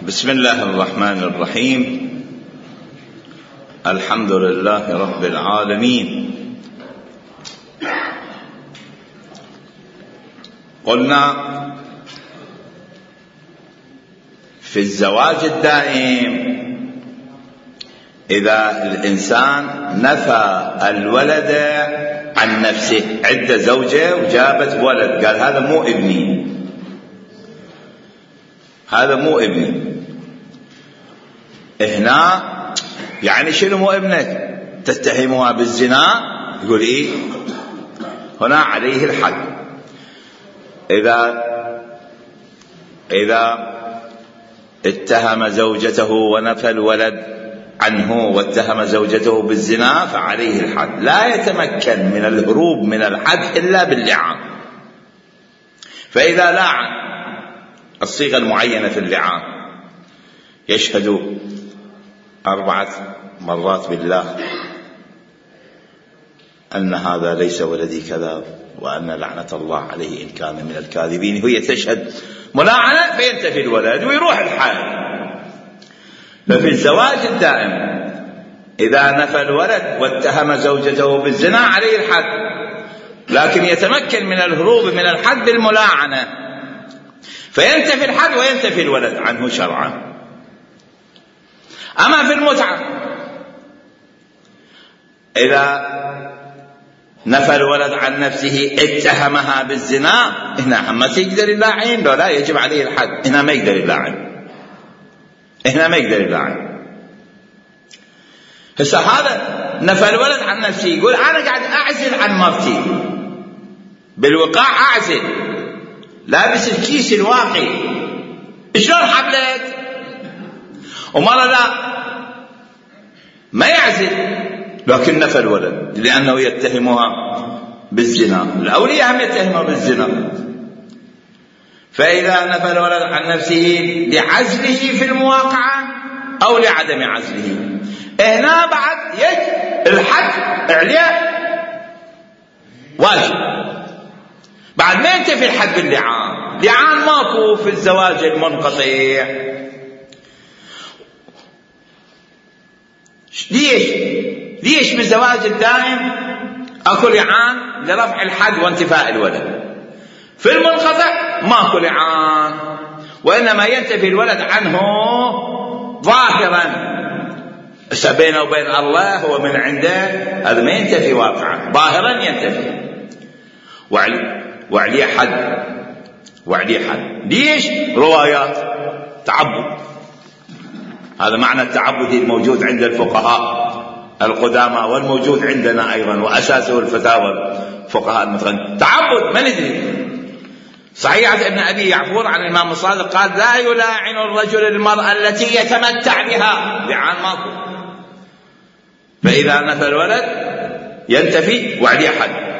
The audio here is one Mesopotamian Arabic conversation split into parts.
بسم الله الرحمن الرحيم. الحمد لله رب العالمين. قلنا في الزواج الدائم إذا الإنسان نفى الولد عن نفسه، عدة زوجة وجابت ولد، قال هذا مو ابني، هذا مو ابني. هنا يعني شنو مو ابنك؟ تتهمها بالزنا؟ يقول إيه؟ هنا عليه الحد. إذا اتهم زوجته ونفى الولد عنه واتهم زوجته بالزنا فعليه الحد. لا يتمكن من الهروب من الحد إلا باللعان. فإذا لعن الصيغة المعينة في اللعان، يشهد 4 مرات بالله أن هذا ليس ولدي كذا وأن لعنة الله عليه إن كان من الكاذبين، هي تشهد ملاعنة فينتفي الولد ويروح الحال. ففي الزواج الدائم إذا نفى الولد واتهم زوجته بالزنا عليه الحد، لكن يتمكن من الهروب من الحد بالملاعنة، فينتفي الحد وينتفي الولد عنه شرعا. أما في المتعة إذا نفى الولد عن نفسه اتهمها بالزنا، هنا ما يقدر يلاعن، لا يجب عليه الحد. هنا ما يقدر يلاعن، هنا ما يقدر يلاعن. هسه هذا نفى الولد عن نفسه، يقول أنا قاعد أعزل عن مرتي، بالوقاع أعزل، لابس الكيس الواقي، شلون حبلت؟ ومرة لا ما يعزل لكن نفى الولد لأنه يتهمها بالزنا. الأولياء هم يتهمها بالزنا. فإذا نفى الولد عن نفسه لعزله في المواقعة أو لعدم عزله، هنا بعد الحد عليه واجب، بعد ما ينتفي الحد باللعان. لعان ماكو في الزواج المنقطع. ليش بالزواج الدائم اكو لعان لرفع الحد وانتفاء الولد؟ في المنقطع ماكو لعان، وانما ينتفي الولد عنه ظاهرا. بينه وبين الله هو من عنده، هذا ما ينتفي واقعا، ظاهرا ينتفي وعليه حد. ليش؟ روايات تعبد. هذا معنى التعبد الموجود عند الفقهاء القدامى والموجود عندنا أيضا، وأساسه الفتاوى الفقهاء المتقدمين. تعبد ما ندري. صحيح ابن أبي يعفور عن الإمام الصادق قال لا يلاعن الرجل المرأة التي يتمتع بها، لعان ماكو. فإذا نفى الولد ينتفي وعليه حد.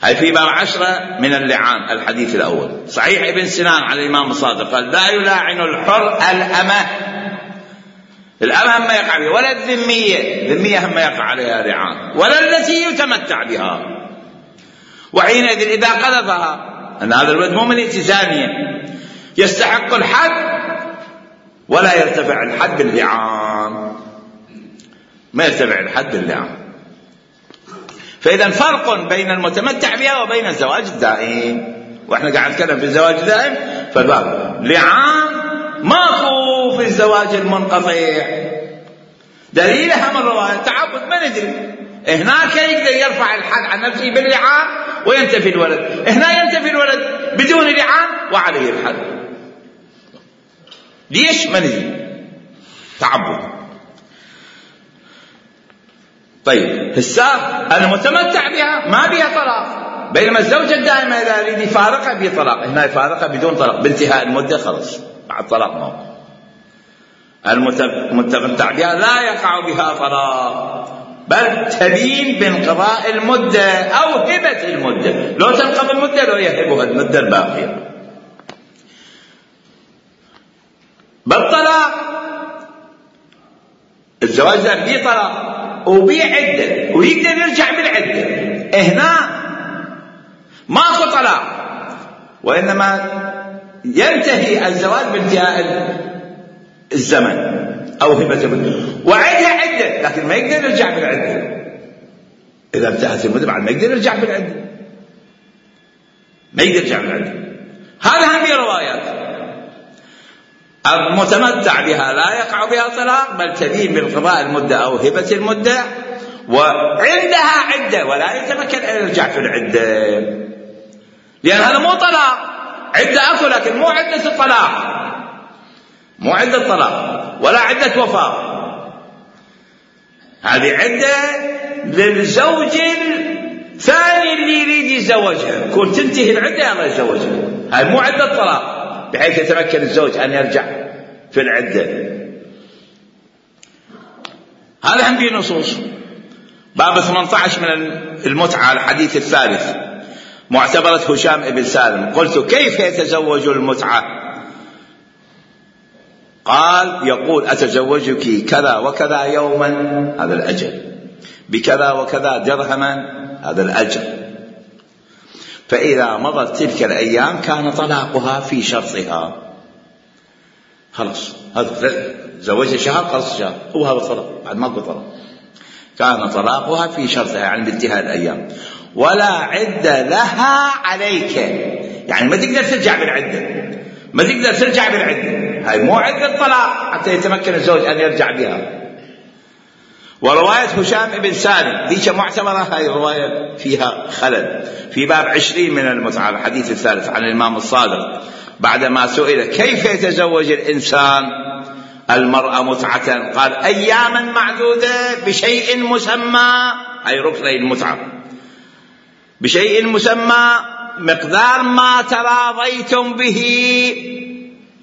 هاي في باب 10 من اللعان. الحديث الأول صحيح ابن سنان عن الإمام الصادق قال لا يلاعن الحر الأمة. الأمة هم يقع بها، ولا الذمية هم يقع عليها لعان، ولا التي يتمتع بها. وحينئذ إذا قذفها أن هذا الولد مو من التزامية يستحق الحد، ولا يرتفع الحد باللعان، ما يرتفع الحد باللعان. فإذا فرق بين المتمتع بها وبين الزواج الدائم. وإحنا قاعد نتكلم في الزواج الدائم، فالباب لعان ماكو في الزواج المنقطع. دليلها من رواية تعبد ما ندري. هناك يقدر يرفع الحد عن نفسه باللعان وينتفي الولد، هنا ينتفي الولد بدون لعان وعليه الحد. ليش؟ ما ندري. تعبد. طيب هسه المتمتع بها ما بها طلاق، بينما الزوجة الدائمة إذا يريد يفارقها به طلاق. هنا يفارقها بدون طلاق، بانتهاء المدة خلص، بعد طلاق ما هو. المتمتع بها لا يقع بها طلاق، بل تبين بانقضاء المدة أو هبة المدة. لو تنقضي المدة لو يهبها المدة الباقية. بالطلاق الزواج ده بيه طلاق وبيه عدة ويقدر يرجع بالعدة. هنا ماكو طلاق، وإنما ينتهي الزواج بانتهاء الزمن أو هبة المدة، وعدها عدة لكن ما يقدر يرجع بالعدة. إذا انتهت المدة بعد ما يقدر يرجع بالعدة، ما يقدر يرجع بالعدة. هذا هم روايات. المتمتع بها لا يقع بها طلاق، بل تبين بانقضاء المدة أو هبة المدة، وعندها عدة ولا يتمكن أن يرجع في العدة، لأن هذا مو طلاق. عدة أكو لكن مو عدة الطلاق، مو عدة طلاق ولا عدة وفاة. هذه عدة للزوج الثاني اللي يريد يتزوجها، كون تنتهي العدة الله يتزوجها. هذه مو عدة طلاق بحيث يتمكن الزوج أن يرجع في العدة. هذا هم فيه نصوص. باب 18 من المتعة، الحديث الثالث، معتبرة هشام بن سالم. قلت كيف يتزوج المتعة؟ قال يقول أتزوجك كذا وكذا يوما، هذا الأجل، بكذا وكذا درهما، هذا الأجل. فإذا مضت تلك الأيام كان طلاقها في شرطها. خلاص هذا زوجها شهر، خلاص شهر، هو هذا طلاق، بعد ماكو طلاق. كان طلاقها في شرطها يعني بانتهاء الأيام، ولا عدة لها عليك، يعني ما تقدر ترجع بالعدة، ما تقدر ترجع بالعدة. هاي مو عدة طلاق حتى يتمكن الزوج أن يرجع بها. ورواية هشام بن سالم ذيك معتبرة، هاي الرواية فيها خلل. في باب 20 من المتعة، الحديث الثالث، عن الإمام الصادق بعدما سئل كيف يتزوج الإنسان المرأة متعة، قال أياما معدودة بشيء مسمى، هاي ركني المتعة، بشيء مسمى مقدار ما تراضيتم به،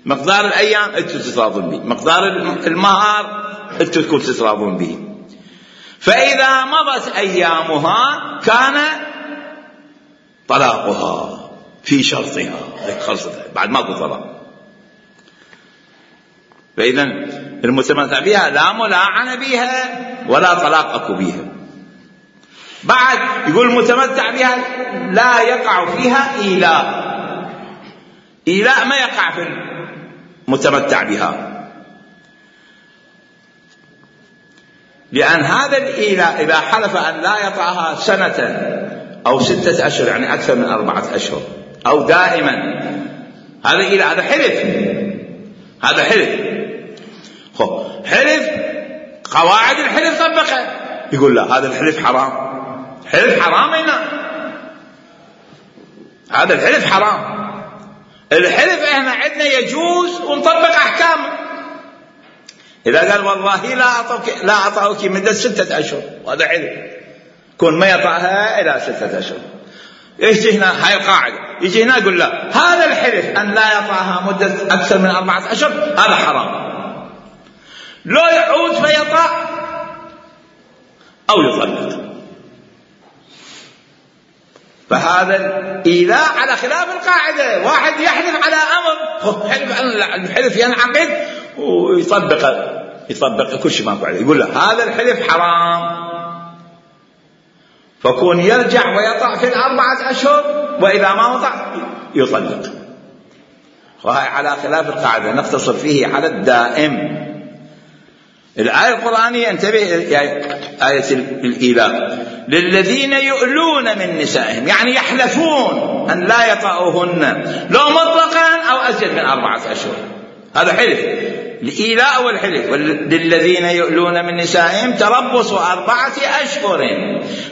مقدار الأيام أنتم تتراضون به، مقدار المهر أنتم تكون تتراضون به. فإذا مضت أيامها كان طلاقها في شرطها، خلصت بعد ماكو طلاق. فإذا المتمتع بها لا ملاعنة بها ولا طلاق أكو بها. بعد يقول المتمتع بها لا يقع فيها إيلاء، إيلاء ما يقع في المتمتع بها، لأن هذا الإيلاء إذا حلف أن لا يطعها سنة أو 6 أشهر، يعني أكثر من 4 أشهر، أو دائما، هذا إيلاء، هذا حلف، هذا حلف. حلف قواعد الحلف طبقها، يقول لا هذا الحلف حرام، حلف حرام هنا، هذا الحلف حرام. الحلف احنا عندنا يجوز ونطبق احكامه. اذا قال والله لا اعطاك مدة 6 أشهر، وهذا حلف، كون ما يطعها الى 6 أشهر. يجي هنا هاي القاعدة، يجي هنا يقول لا هذا الحلف ان لا يطعها مدة اكثر من 4 أشهر هذا حرام، لو يعود فيطع او يطلق. فهذا الإيلاء على خلاف القاعدة. واحد يحلف على أمر، حلف الحلف ينعقد ويطبق كل شيء ماكو عليه، يقول له هذا الحلف حرام، فكون يرجع ويطع في 4 أشهر، وإذا ما وطع يطلق. وهي على خلاف القاعدة، نقتصر فيه على الدائم. الآية القرآنية انتبه، آية الإيلاء، للذين يؤلون من نسائهم، يعني يحلفون أن لا يطأوهن لو مطلقا أو أزيد من 4 أشهر، هذا حلف، الإيلاء والحلف. للذين يؤلون من نسائهم تربص 4 أشهر،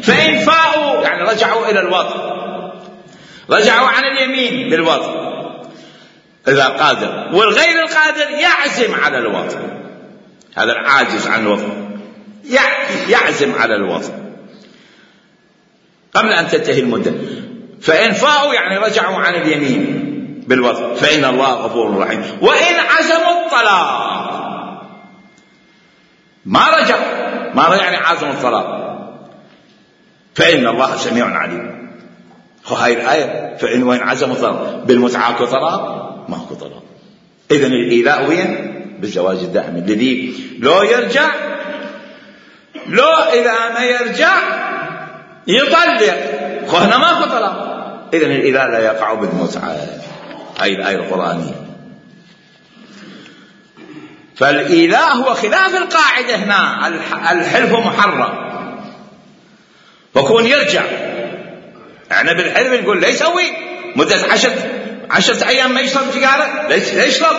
فإن فاءوا يعني رجعوا إلى الوطء، رجعوا عن اليمين بالوطء إذا قادر، والغير القادر يعزم على الوطء، هذا العاجز عن الوطء يعزم على الوطء قبل أن تنتهي المدة. فإن فاءوا يعني رجعوا عن اليمين بالوطء فإن الله غفور رحيم. وإن عزموا الطلاق، ما رجع يعني عزموا الطلاق، فإن الله سميع عليم. هاي الآية، فإن وإن عزموا الطلاق، بالمتعة طلاق ما هو طلاق. إذن الإيلاء وين؟ بالزواج الدائم، الذي لو يرجع، لو إذا ما يرجع يطلق، هنا ما هو طلاق. إذن الإيلاء لا يقع بالمتعة. هاي الآية القرآنية. فالإيلاء هو خلاف القاعدة هنا، الحلف محرم، فكون يرجع. احنا بالحلف نقول لا يسوي مدة 10 أيام ما يشرب سيجارة، لا يشرب.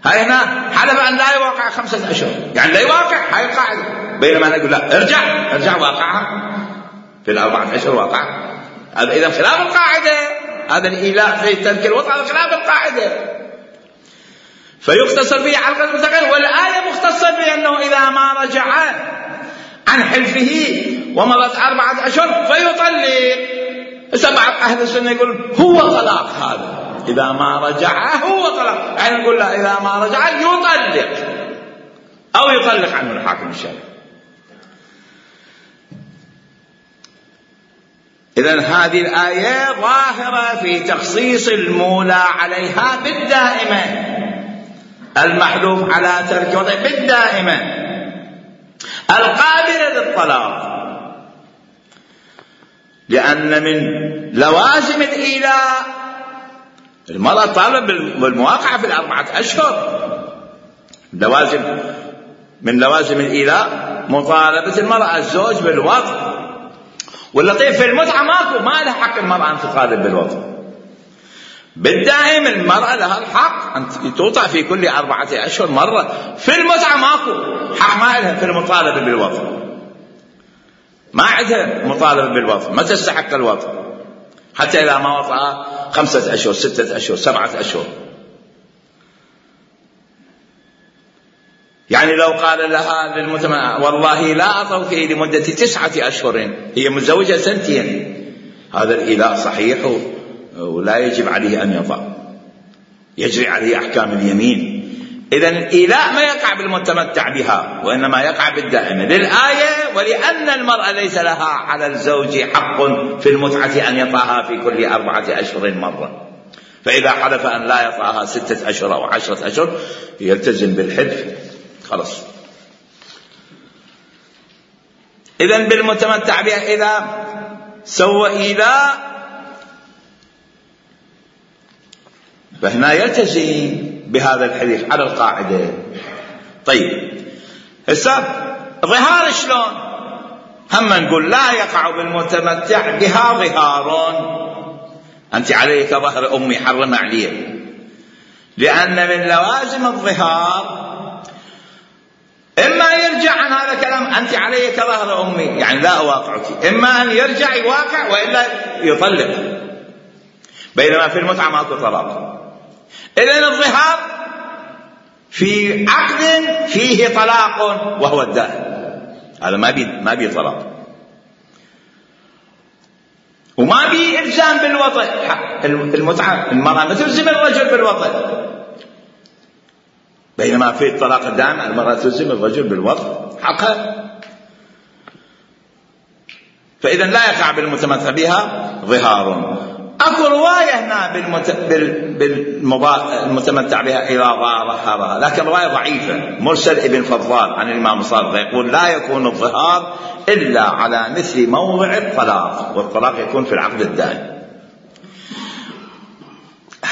هاي هنا حلف أن لا يواقع 5 أشهر، يعني لا يواقع، هاي القاعدة. بينما نقول لا، ارجع واقعها في 4 أشهر واقع. هذا إذا خلاف القاعدة، هذا الإيلاء في ترك الوطء هذا خلاف القاعدة، فيقتصر به على القدر المتغير. والآية مختصر بأنه إذا ما رجع عن حلفه ومضت 4 أشهر فيطلق. بعض أهل السنة يقول هو طلاق، هذا إذا ما رجع هو طلاق، يعني نقول لا، إذا ما رجع يطلق أو يطلق عنه الحاكم الشرعي. إذن هذه الآية ظاهرة في تخصيص المولى عليها بالدائمة، المحلوف على ترك وضع بالدائمة، القابلة للطلاق. لأن من لوازم الإيلاء المرأة طالب بالمواقعة في 4 أشهر. من لوازم الإيلاء مطالبة المرأة الزوج بالوطء. واللطيف في المتعة ماكو، ما لها حق المرأة أن تطالب بالوطء بالدائم. المرأة لها الحق أن توطأ في كل 4 أشهر مرة. في المتعة ماكو حق، ما لها في المطالبة بالوطء، ما عندها مطالبة بالوطء، ما تستحق الوطء حتى إذا ما وطأ 5 أشهر 6 أشهر 7 أشهر. يعني لو قال لها للمتمتع والله لا أطوك لمدة 9 أشهر، هي متزوجة 2، هذا الإيلاء صحيح ولا يجب عليه أن يطأ، يجري عليه أحكام اليمين. إذن الإيلاء ما يقع بالمتمتع بها، وإنما يقع بالدائمة للآية. ولأن المرأة ليس لها على الزوج حق في المتعة أن يطأها في كل 4 أشهر مرة، فإذا حلف أن لا يطأها 6 أشهر أو 10 أشهر يلتزم بالحلف خلاص. إذن بالمتمتع بها إذا سوى إيلاء فهنا يلتزم بهذا الحديث على القاعدة. طيب هسه ظهار شلون؟ هم نقول لا يقع بالمتمتع بها ظهار، أنت عليك ظهر أمي حرم عليه، لأن من لوازم الظهار إما يرجع عن هذا الكلام، أنت عليك ظهر أمي يعني لا أواقعك، إما أن يرجع يواقع وإلا يطلق، بينما في المتعة ماكو طلاق. إذن الظهار في عقد فيه طلاق وهو الدائم، هذا ما بي طلاق وما بي إلزام بالوطء. المتعة المرأة ما تلزم الرجل بالوطء، بينما في الطلاق الدائم المرأة تلزم الرجل بالوطء حقا. فإذا لا يقع بالمتمتع بها ظهار. أكو رواية هنا بالمتمتع بها إذا ظهرها، لكن رواية ضعيفة مرسل ابن فضال عن الإمام الصادق يقول لا يكون الظهار إلا على مثل موضع الطلاق، والطلاق يكون في العقد الدائم.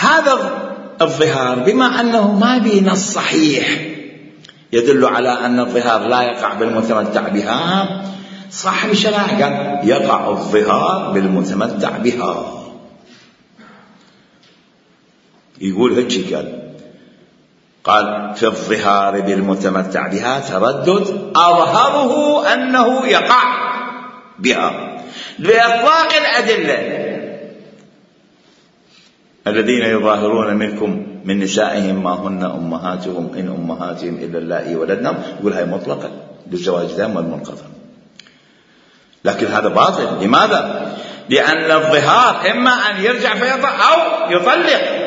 هذا الظهار بما أنه ما به نص صحيح يدل على أن الظهار لا يقع بالمتمتع بها، صاحب الشرائع قال يقع الظهار بالمتمتع بها. يقول هيك قال في الظهار بالمتمتع بها تردد أظهره أنه يقع بها لإطلاق الأدلة. الذين يظاهرون منكم من نسائهم ما هن أمهاتهم إن أمهاتهم إلا اللائي ولدنهم، يقول هاي مطلقة بالزواج دام والمنقطع، لكن هذا باطل. لماذا؟ لأن الظهار إما أن يرجع فيطلق أو يطلق،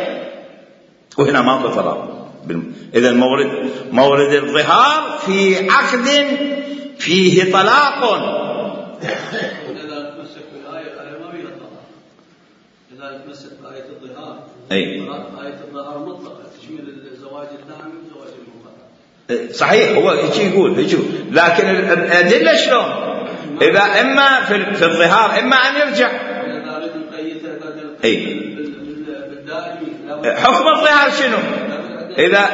وهنا ما هو طلاق. إذا مورد الظهار في عقد فيه طلاق. إذا تمسك بالآية ما فيها طلاق، إذا تمسك بآية الظهار آية الظهار مطلقة تشمل الزواج الدائم والزواج المنقطع. صحيح هو يقول لكن الأدلة شلون؟ إذا إما في الظهار إما أن يرجع إذا أريد نقيدها بالدائم حكم الظهار شنو؟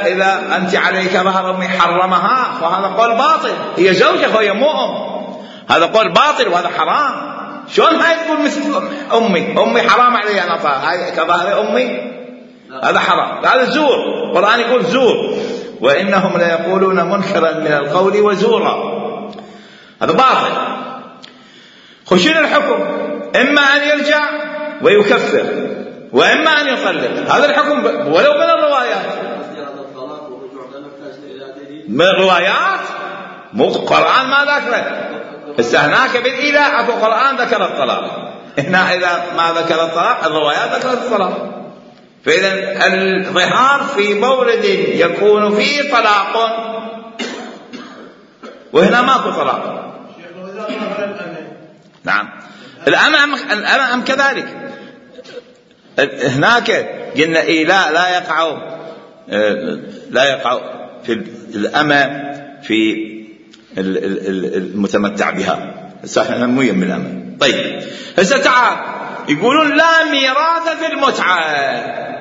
إذا أنت عليك ظهر أمي حرمها فهذا قول باطل. هي زوجة وهي مو أم، هذا قول باطل وهذا حرام. شلون هاي تقول مثل أمي حرام علي أن أطأ، هاي كظهر أمي؟ هذا حرام، هذا زور. القرآن يقول زور، وإنهم ليقولون منكرا من القول وزورا، هذا باطل. خشين الحكم إما أن يرجع ويكفر وإما أن يطلق، هذا الحكم ولو من الروايات. من الروايات مو القرآن ما ذكر. هناك بالإله أكو قرآن ذكر الطلاق، هنا إذا ما ذكر الطلاق الروايات ذكر الطلاق. فإذا الظهار في مورد يكون فيه طلاق وهنا ماكو طلاق. نعم الأمام كذلك. هناك قلنا لا يقع في الأمة في المتمتع بها. صحيح مو يم الأمة. طيب هسه تعال يقولون لا ميراث في المتعة،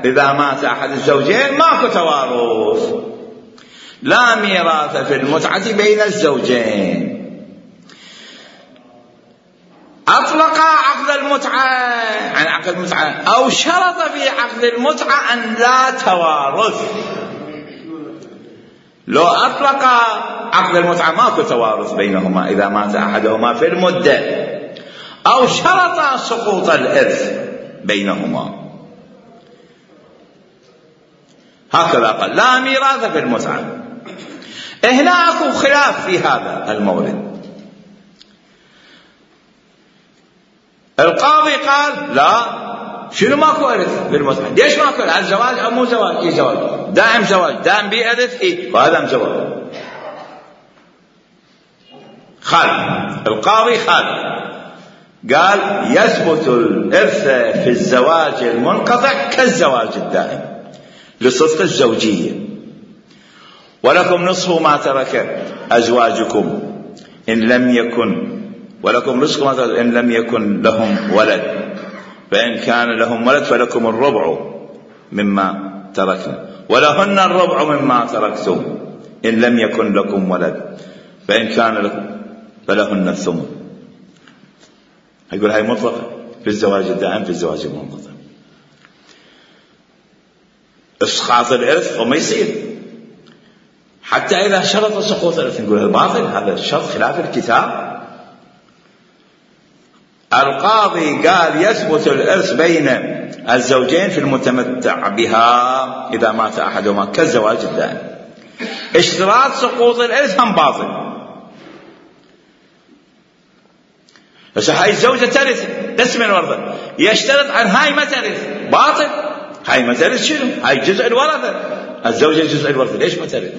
إذا مات أحد الزوجين ماكو توارث. لا ميراث في المتعة بين الزوجين. أطلق عقد المتعة عن عقد المتعة أو شرط في عقد المتعة أن لا توارث. لو أطلق عقد المتعة ماكو توارث بينهما إذا مات أحدهما في المدة، أو شرط سقوط الإرث بينهما. هكذا قال لا ميراث في المتعة. هنا أكو خلاف في هذا المورد. القاضي قال لا، شنو ماكو إرث بالمتعة؟ ليش ماكو؟ هل زواج أو مو زواج؟ إيه زواج، دائم زواج، دائم بإرث، إيه وهذا زواج. القاضي قال يثبت الإرث في الزواج المنقطع كالزواج الدائم لصدق الزوجية، ولكم نصف ما ترك أزواجكم إن لم يكن، ولكم نصف ما ترك إن لم يكن لهم ولد، فإن كان لهم ولد فلكم الربع مما تركنا، ولهن الربع مما تركتم إن لم يكن لكم ولد، فإن كان لكم فلهن الثمن. يقول هاي مطلقة في الزواج الدائم في الزواج المنقطع. إسقاط الإرث وما يصير حتى إذا شرط سقوط الإرث. نقول الباطل، هذا الشرط خلاف الكتاب. القاضي قال يثبت الإرث بين الزوجين في المتمتع بها إذا مات أحدهما كالزواج الدائم. اشتراط سقوط الإرث هم باطل. بس هاي الزوجة ترث تسمى الورثة، يشترط عن هاي ما ترث، باطل. هاي ما ترث شنو؟ هاي جزء الورثة، الزوجة جزء الورثة، ليش ما ترث؟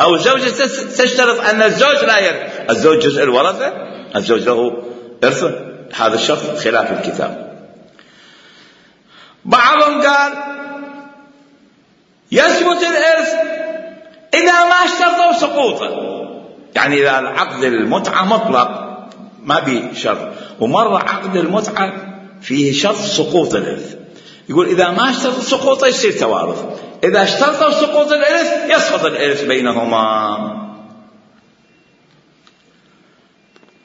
أو الزوجة تشترط أن الزوج لا يرث، الزوج جزء الورثة، الزوج له إرث. هذا الشرط خلاف الكتاب. بعضهم قال يثبت الإرث إذا ما اشترطوا سقوطه، يعني إذا العقد المتعة مطلق ما بيه شرط، ومرة عقد المتعة فيه شرط سقوط الإرث، يقول إذا ما اشترط سقوطه يصير توارث، إذا اشترطوا سقوط الإرث يسقط الإرث بينهما.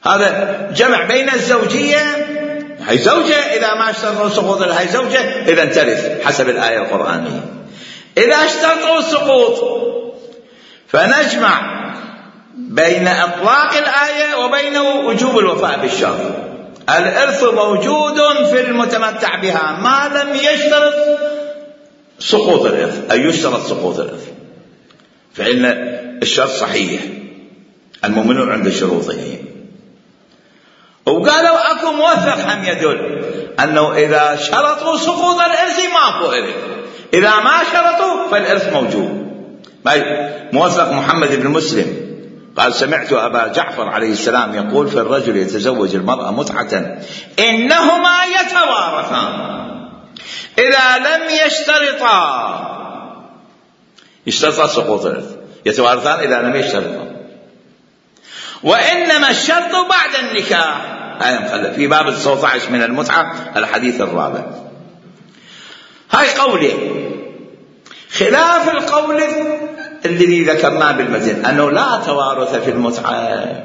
هذا جمع بين الزوجية، هي زوجة إذا ما اشترطوا سقوط الإرث هي زوجة إذا ترث حسب الآية القرآنية. إذا اشترطوا السقوط فنجمع بين إطلاق الآية وبين وجوب الوفاء بالشرط. الإرث موجود في المتمتع بها ما لم يشترط سقوط الإرث، أي يشترط سقوط الإرث، فإن الشرط صحيح الممنوع عند شروطه. وقالوا أكو موثق هم يدل أنه إذا شرطوا سقوط الإرث ماكو إرث، إذا ما شرطوا فالإرث موجود. موثق محمد بن مسلم قال سمعت أبا جعفر عليه السلام يقول في الرجل يتزوج المرأة متعة إنهما يتوارثان إذا لم يشترطا سقوط الإرث، يتوارثان إذا لم يشترطا، وإنما الشرط بعد النكاح. في باب 19 من المتعة الحديث الرابع. هاي قوله، خلاف القول الذي ذكرناه بالمتن أنه لا توارث في المتعة.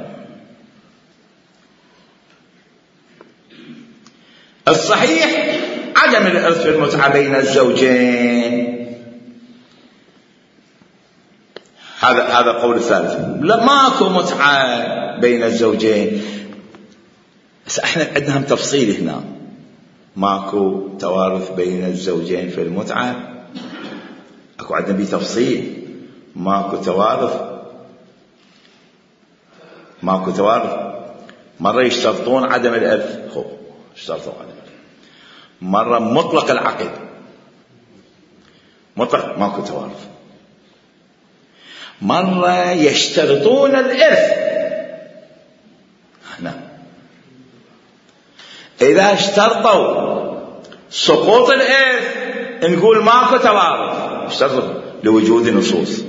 الصحيح عدم الإرث في المتعة بين الزوجين، هذا قول الثالث، لا ماكو متعة بين الزوجين. بس احنا عندنا هم تفصيل هنا، ماكو توارث بين الزوجين في المتعة، اكو عندنا بيه تفصيل، ماكو توارث. مرة يشترطون عدم الإرث، اشترطوا عدم الإرث. مرة مطلق العقد، مطلق ماكو توارث. مرة يشترطون الإرث. هنا إذا اشترطوا سقوط الإرث نقول ماكو توارث، اشترطوا لوجود نصوص.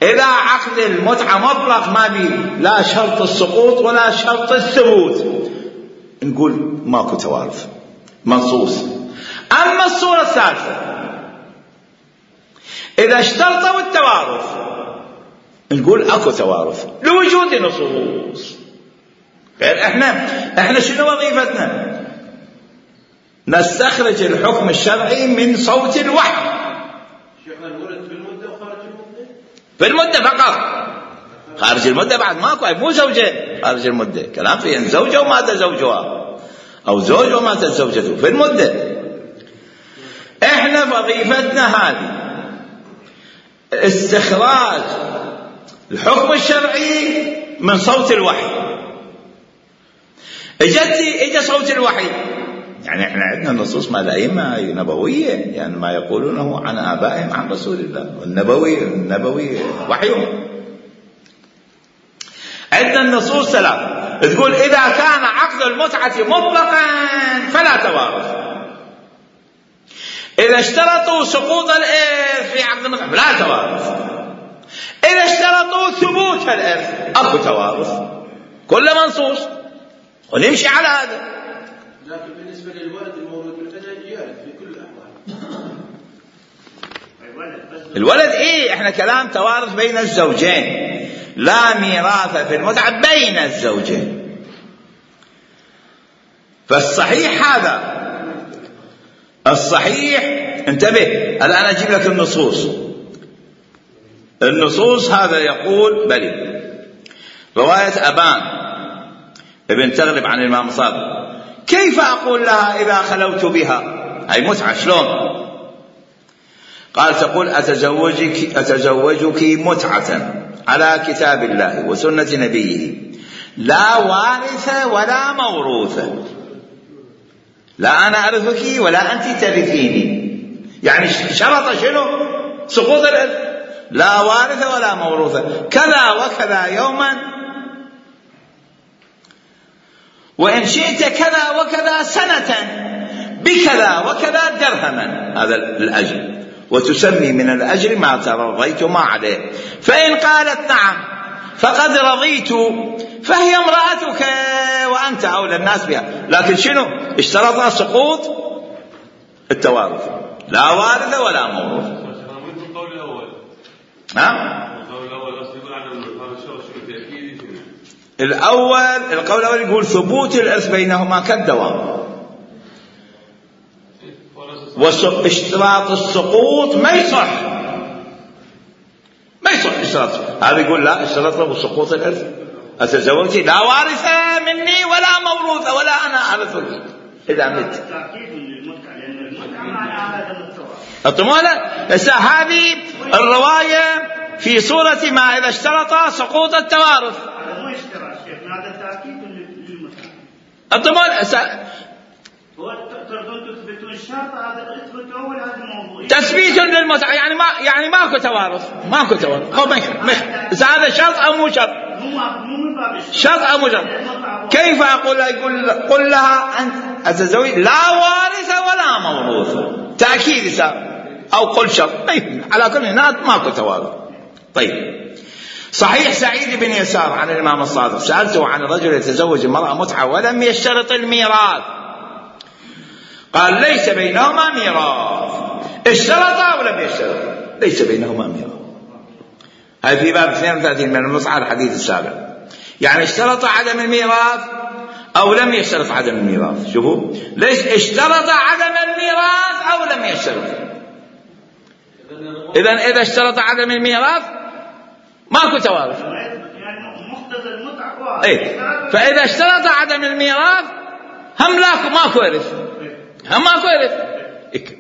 إذا عقد المتعة مطلق ما بيه لا شرط السقوط ولا شرط الثبوت، نقول ماكو توارث منصوص. أما الصورة الثالثة إذا اشترطوا التوارث نقول اكو توارث لوجود نصوص. احنا شنو وظيفتنا؟ نستخرج الحكم الشرعي من صوت الوحي. شيخنا الولد في المدة وخارج المدة؟ في المدة فقط، خارج المدة بعد ماكو، مو زوجين خارج المدة، كلام في ان زوجة ومات زوجها او زوج وماتت زوجته في المدة. احنا وظيفتنا هذه استخراج الحكم الشرعي من صوت الوحي. اجى صوت الوحي، يعني احنا عندنا النصوص مال الأئمة نبوية، يعني ما يقولونه عن آبائهم عن رسول الله، النبوي وحيهم. عندنا النصوص ثلاث تقول إذا كان عقد المتعة مطلقا فلا توارث، إذا اشترطوا سقوط الإرث في عقد المتعة لا توارث، إذا اشترطوا ثبوت الإرث أكو توارث. كل منصوص ونمشي على هذا. لكن بالنسبة للولد المولود بالأجل يرث في كل الأحوال. الولد احنا كلام توارث بين الزوجين، لا ميراث في المتعة بين الزوجين. فالصحيح هذا الصحيح، انتبه الآن أجيب لك النصوص هذا يقول بلي رواية أبان ابن تغلب عن الإمام الصادق، كيف أقول لها إذا خلوت بها؟ هاي متعة شلون؟ قال تقول أتزوجك متعة على كتاب الله وسنة نبيه لا وارث ولا موروث، لا أنا أرثك ولا أنت ترثيني. يعني شرط شنو؟ سقوط الإرث، لا وارث ولا موروث، كذا وكذا يوما، وإن شئت كذا وكذا سنة بكذا وكذا درهما، هذا الأجر، وتسمي من الأجر ما ترضيت ما عليه. فإن قالت نعم فقد رضيت فهي امرأتك وأنت أولى الناس بها. لكن شنو اشترط؟ سقوط التوارث، لا وارث ولا موروث. القول الأول القول الأول يقول ثبوت الإرث بينهما كالدوام، واشتراط السقوط ما يصح اشتراط. هذا يقول لا اشترط له سقوط الإرث، أتزوجتي لا وارث مني ولا موروث ولا أنا أرثك إذا مت. هذه الرواية في صورة ما إذا اشترط سقوط التوارث. تثبيت للمتعة، يعني ماكو توارث أو هذا شرط أو مو شرط؟ شرط أو مو شرط؟ كيف أقول؟ قل لها أنت أتزوج لا وارث ولا موروث، تأكيد أو قل شرط، على كل هناك ماكو توارث. طيب صحيح سعيد بن يسار عن الإمام الصادق سألته عن رجل يتزوج امرأة متعة ولم يشترط الميراث، قال ليس بينهما ميراث. اشترط أو لم يشترط ليس بينهما ميراث. هذا في باب 32 من المصحف الحديث السابق. يعني اشترط عدم الميراث أو لم يشترط عدم الميراث. شوفوا ليش اشترط عدم الميراث أو لم يشترط. إذا اشترط عدم الميراث ماكو توارث. فإذا اشترط عدم الميراث هم ماكو إرث. هم ماكو إرث.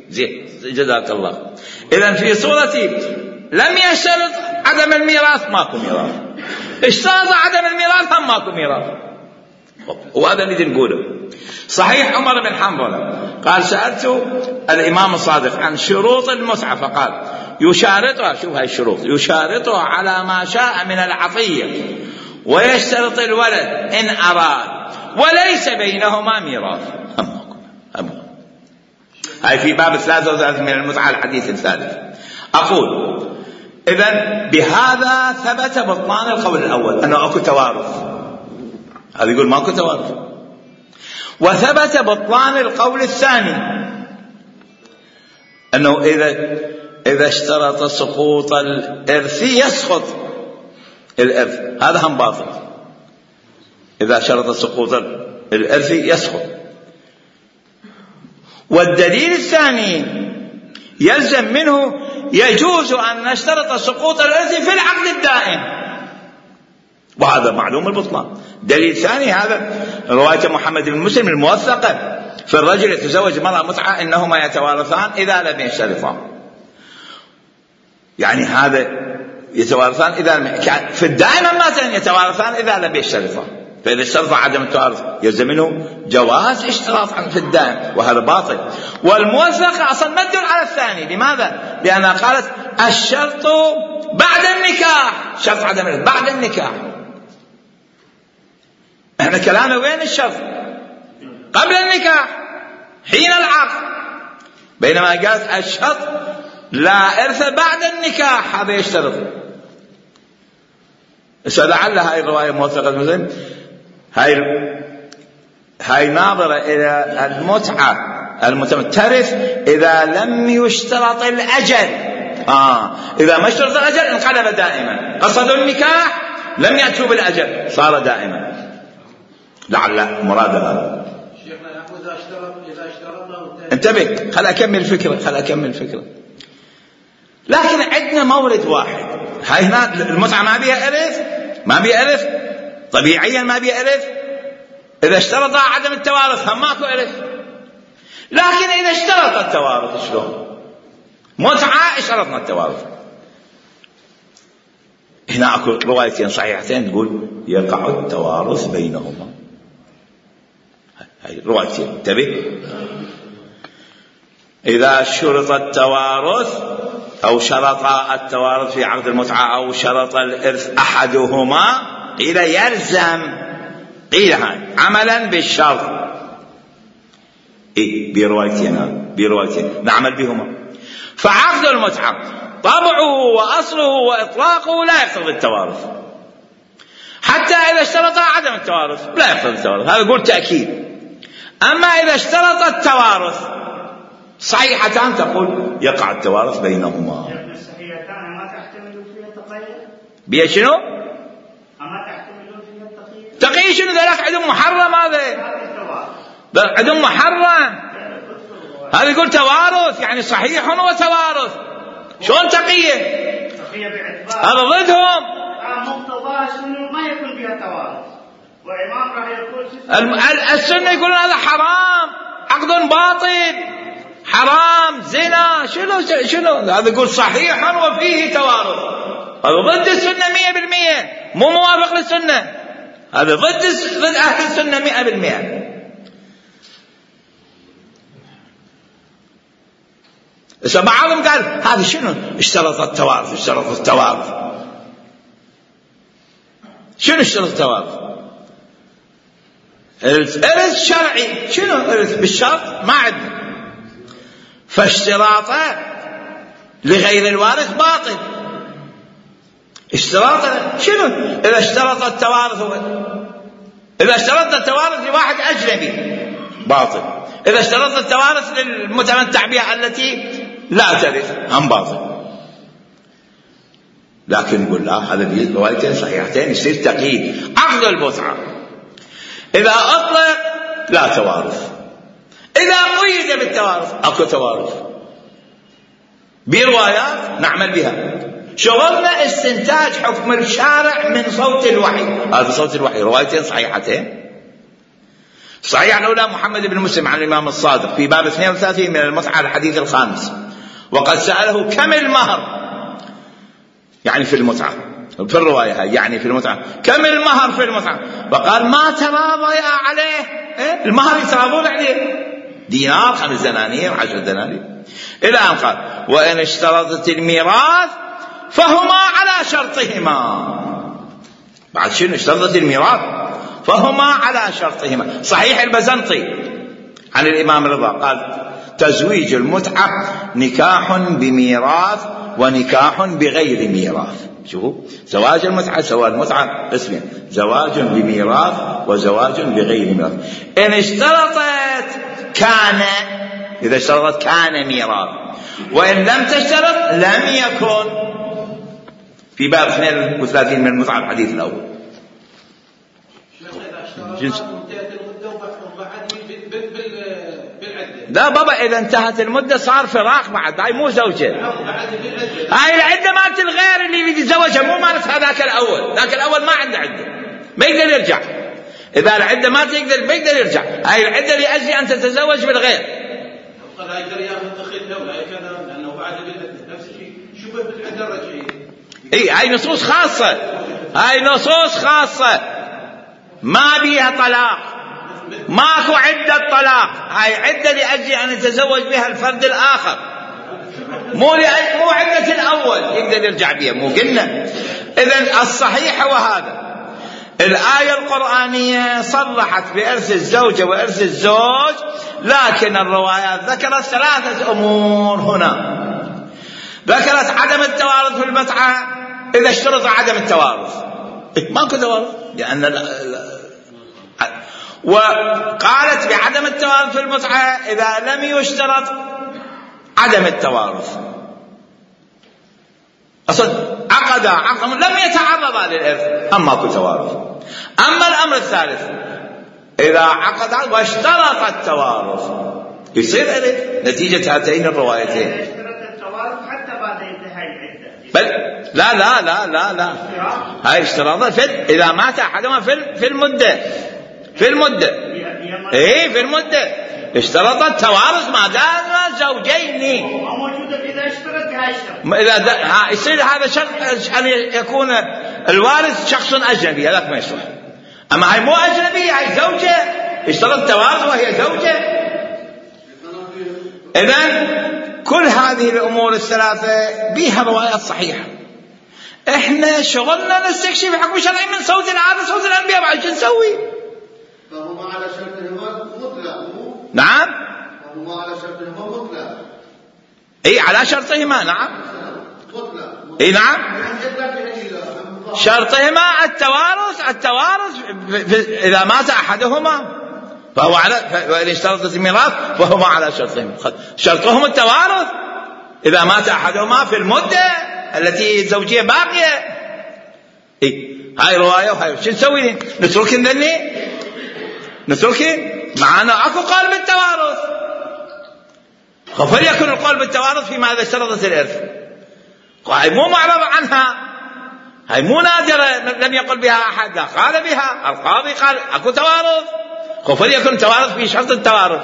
زين جزاك الله. إذن في صورة لم يشترط عدم الميراث ماكو ميراث. اشترط عدم الميراث هم ماكو ميراث. وهذا اللي نقوله. صحيح عمر بن حنظلة قال سألت الإمام الصادق عن شروط المتعة فقال يشارطها، شوف هاي الشروط، يشارطها على ما شاء من العطية ويشترط الولد إن أراد وليس بينهما ميراث. هاي في باب 33 من المتعة الحديث الثالث. أقول إذن بهذا ثبت بطلان القول الأول أنه أكو توارث. هذا يقول ماكو توارث. وثبت بطلان القول الثاني أنه إذا اشترط سقوط الإرث يسقط الإرث، هذا هم باطل. إذا شرط سقوط الإرث يسقط. والدليل الثاني يلزم منه يجوز أن نشترط سقوط الإرث في العقد الدائم، وهذا معلوم البطلان. دليل ثاني هذا رواية محمد بن مسلم الموثقة في الرجل يتزوج مرأة متعة إنهما يتوارثان إذا لم يشترطا. يعني هذا يتوارثان إذا في الدائم مثلا يتوارثان إذا لم يشترطا. فإذا اشترط عدم التوارث يلزم منه جواز اشتراط في الدائم، وهذا باطل. والموثقة أصلا ما تدل على الثاني. لماذا؟ لأنها قالت الشرط بعد النكاح، شرط عدم بعد النكاح. احنا كلامنا وين الشرط؟ قبل النكاح حين العقد. بينما قالت الشرط لا إرث بعد النكاح، هذا يشترط. لعل هاي الرواية موثقة المسلم هاي ناظرة إلى المتعة ترث إذا لم يشترط الأجل. إذا ما اشترط الأجل انقلب دائما. قصدوا النكاح لم يأتوا بالأجل صار دائما. لعل مراد هذا. شيخنا يقول إذا اشترطه انتبه، خل أكمل الفكرة. لكن عندنا مورد واحد. هاي هنا المتعة ما بيها إرث طبيعيا، ما بيها إرث. إذا اشترط عدم التوارث هم ماكو إرث. لكن إذا اشترط التوارث شلون؟ متعة اشترطنا التوارث. هنا أكو روايتين صحيحتين تقول يقع التوارث بينهما. هاي روايتين انتبه. إذا شرط التوارث أو شرط التوارث في عقد المتعة أو شرط الإرث أحدهما قيل يلزم، قيل هاي عملا بالشرط. بروايتين نعمل بهما. فعقد المتعة طبعه وأصله وإطلاقه لا يقتضي التوارث، حتى إذا اشترط عدم التوارث لا يقتضي التوارث. هذا يقول تأكيد. أما إذا اشترط التوارث صحيحتان تقول يقع التوارث بينهما. الصحيحتان ما تحتمل فيها التقية؟ بيا شنو؟ أما تحتمل فيها التقية؟ تقية شنو؟ ذلك عندهم محرم. هذا عندهم محرم. هذا يقول توارث يعني صحيح وتوارث. شلون تقية؟ هذا ضدهم. مقتضاها السنة ما يكون فيها توارث، وإمام راح يقول السنة يقولون هذا حرام، عقد باطل، حرام، زنا، شنو هذا؟ يقول صحيح وفيه توارث. هذا ضد السنة 100%، مو موافق للسنة. هذا ضد أهل السنة 100%. بعضهم قال هذا شنو اشترط التوارث. شنو اشترط التوارث؟ الإرث شرعي. شنو إرث بالشرط؟ ما عندنا. فاشتراطه لغير الوارث باطل. اشتراطه شنو؟ إذا اشترط التوارث لواحد أجنبي باطل. إذا اشترط التوارث للمتمتع بها التي لا ترث هم باطل. لكن نقول لا، هذا روايتين صحيحتين يصير تقييد. عقد المتعة إذا أطلق لا توارث، إذا قيد بالتوارث أكو توارث. بروايات نعمل بها، شغلنا استنتاج حكم الشارع من صوت الوحي. هذا صوت الوحي روايتين صحيحتين. صحيح الأولى محمد بن مسلم عن الإمام الصادق في باب 32 من المتعة الحديث الخامس، وقد سأله كم المهر، يعني في المتعة، في الرواية يعني في المتعة كم المهر في المتعة، فقال ما تراضي عليه. المهر يتراضون عليه، دينار، 5 دنانير، 10 دنانير، إلى أن قال وإن اشترطت الميراث فهما على شرطهما. بعد شنو اشترطت الميراث؟ فهما على شرطهما. صحيح البزنطي عن الإمام رضا قال تزويج المتعة نكاح بميراث ونكاح بغير ميراث. شوفوا زواج المتعة، زواج المتعة اسمه زواج بميراث وزواج بغير ميراث. إن اشترطت كان، إذا اشترطت كان ميراث، وإن لم تشترط لم يكن. في باب 32 من المتعة الحديث الأول. لا بابا، إذا انتهت المدة صار فراق بعد، هاي مو زوجة. هاي العدة مالت الغير اللي يريد يتزوجها، مو مالت هذاك الأول. ذاك الأول ما عنده عدة، ما يقدر يرجع. إذا العدة ما تقدر ما يقدر يرجع. هاي العدة لأجل أن تتزوج بالغير. لا يقدر ياخذ دخيل له، لا يقدر، لأنه بعد نفس الشيء شبه بالعدة الرجعية. هاي نصوص خاصة، هاي نصوص خاصة ما بيها طلاق، ماكو عدة طلاق. هاي عدة لأجل أن يتزوج بها الفرد الآخر، مو عدة الأول يقدر يرجع بها، مو قلنا. إذن الصحيح هو هذا. الآية القرآنية صرحت بإرث الزوجة وإرث الزوج، لكن الروايات ذكرت 3 أمور هنا. ذكرت عدم التوارث في المتعة إذا اشترط عدم التوارث، ماكو توارث لأن وقالت بعدم التوارث في المتعة إذا لم يشترط عدم التوارث. أصلا عقد لم يتعرضا للإرث، أما ماكو توارث. أما الأمر الثالث إذا عقد واشترط التوارث يصير إرث نتيجة هاتين الروايتين. اشترط التوارث حتى بعد انتهاء العدة. بل لا لا لا لا لا، هاي اشتراطات إذا مات أحدهما في المدة، في المدة، إيه في المدة اشترط التوارث ما دام زوجين. موجودة إذا اشترط هاي الشرط. إذا يصير هذا شرط أن يكون الوارث شخص أجنبي، هذاك ما يصلح. أما هاي مو أجنبي، هاي زوجة اشترط التوارث وهي زوجة. إذن كل هذه الأمور الثلاثة بها روايات صحيحة. إحنا شغلنا نستكشف حكم شرعي من صوت العادة، صوت الأنبياء، بعد شو نسوي؟ فهما على شرطهما مطلق. نعم. فهما على شرطهما مطلق. اي على شرطهما، نعم. مطلق. اي نعم. شرطهما التوارث اذا مات احدهما فهو على، وإن اشترطت الميراث فهما على شرطهما. شرطهم التوارث اذا مات احدهما في المدة التي الزوجية باقية. اي هاي رواية وهاي. شو نسوي؟ نتركن ذني؟ نتركن؟ معنا اكو قول بالتوارث، فليكن القول بالتوارث فيما اذا اشترطت الارث. هاي مو معرض عنها، هاي مو نادرة لم يقل بها احد، لا قال بها القاضي، قال اكو توارث، فليكن توارث في شرط التوارث.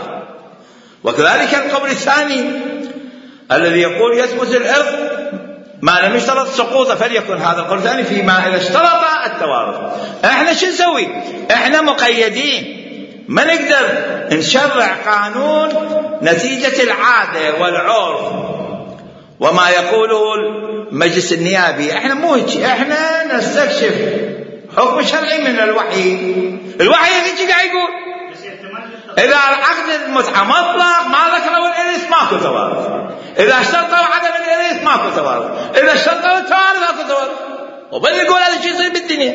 وكذلك القول الثاني الذي يقول يثبت الارث ما لم يشترط سقوطه، فليكن هذا القول الثاني فيما اذا اشترط التوارث. احنا شو نسوي؟ احنا مقيدين، ما نقدر نشرع قانون نتيجة العادة والعرف وما يقوله المجلس النيابي. احنا مو هيك، احنا نستكشف حكم شرعي من الوحي. الوحي هيك قاعد يقول اذا عقد المتعة مطلق ما ذكروا الارث ماكو توارث، اذا اشترطوا عدم الارث ماكو توارث، اذا اشترطوا التوارث ماكو توارث. وبل يقول هذا شيء يصير بالدنيا،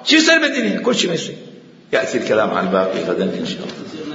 شيء يصير بالدنيا، كل شيء ما يصير. يأتي الكلام عن الباقي غدا إن شاء الله.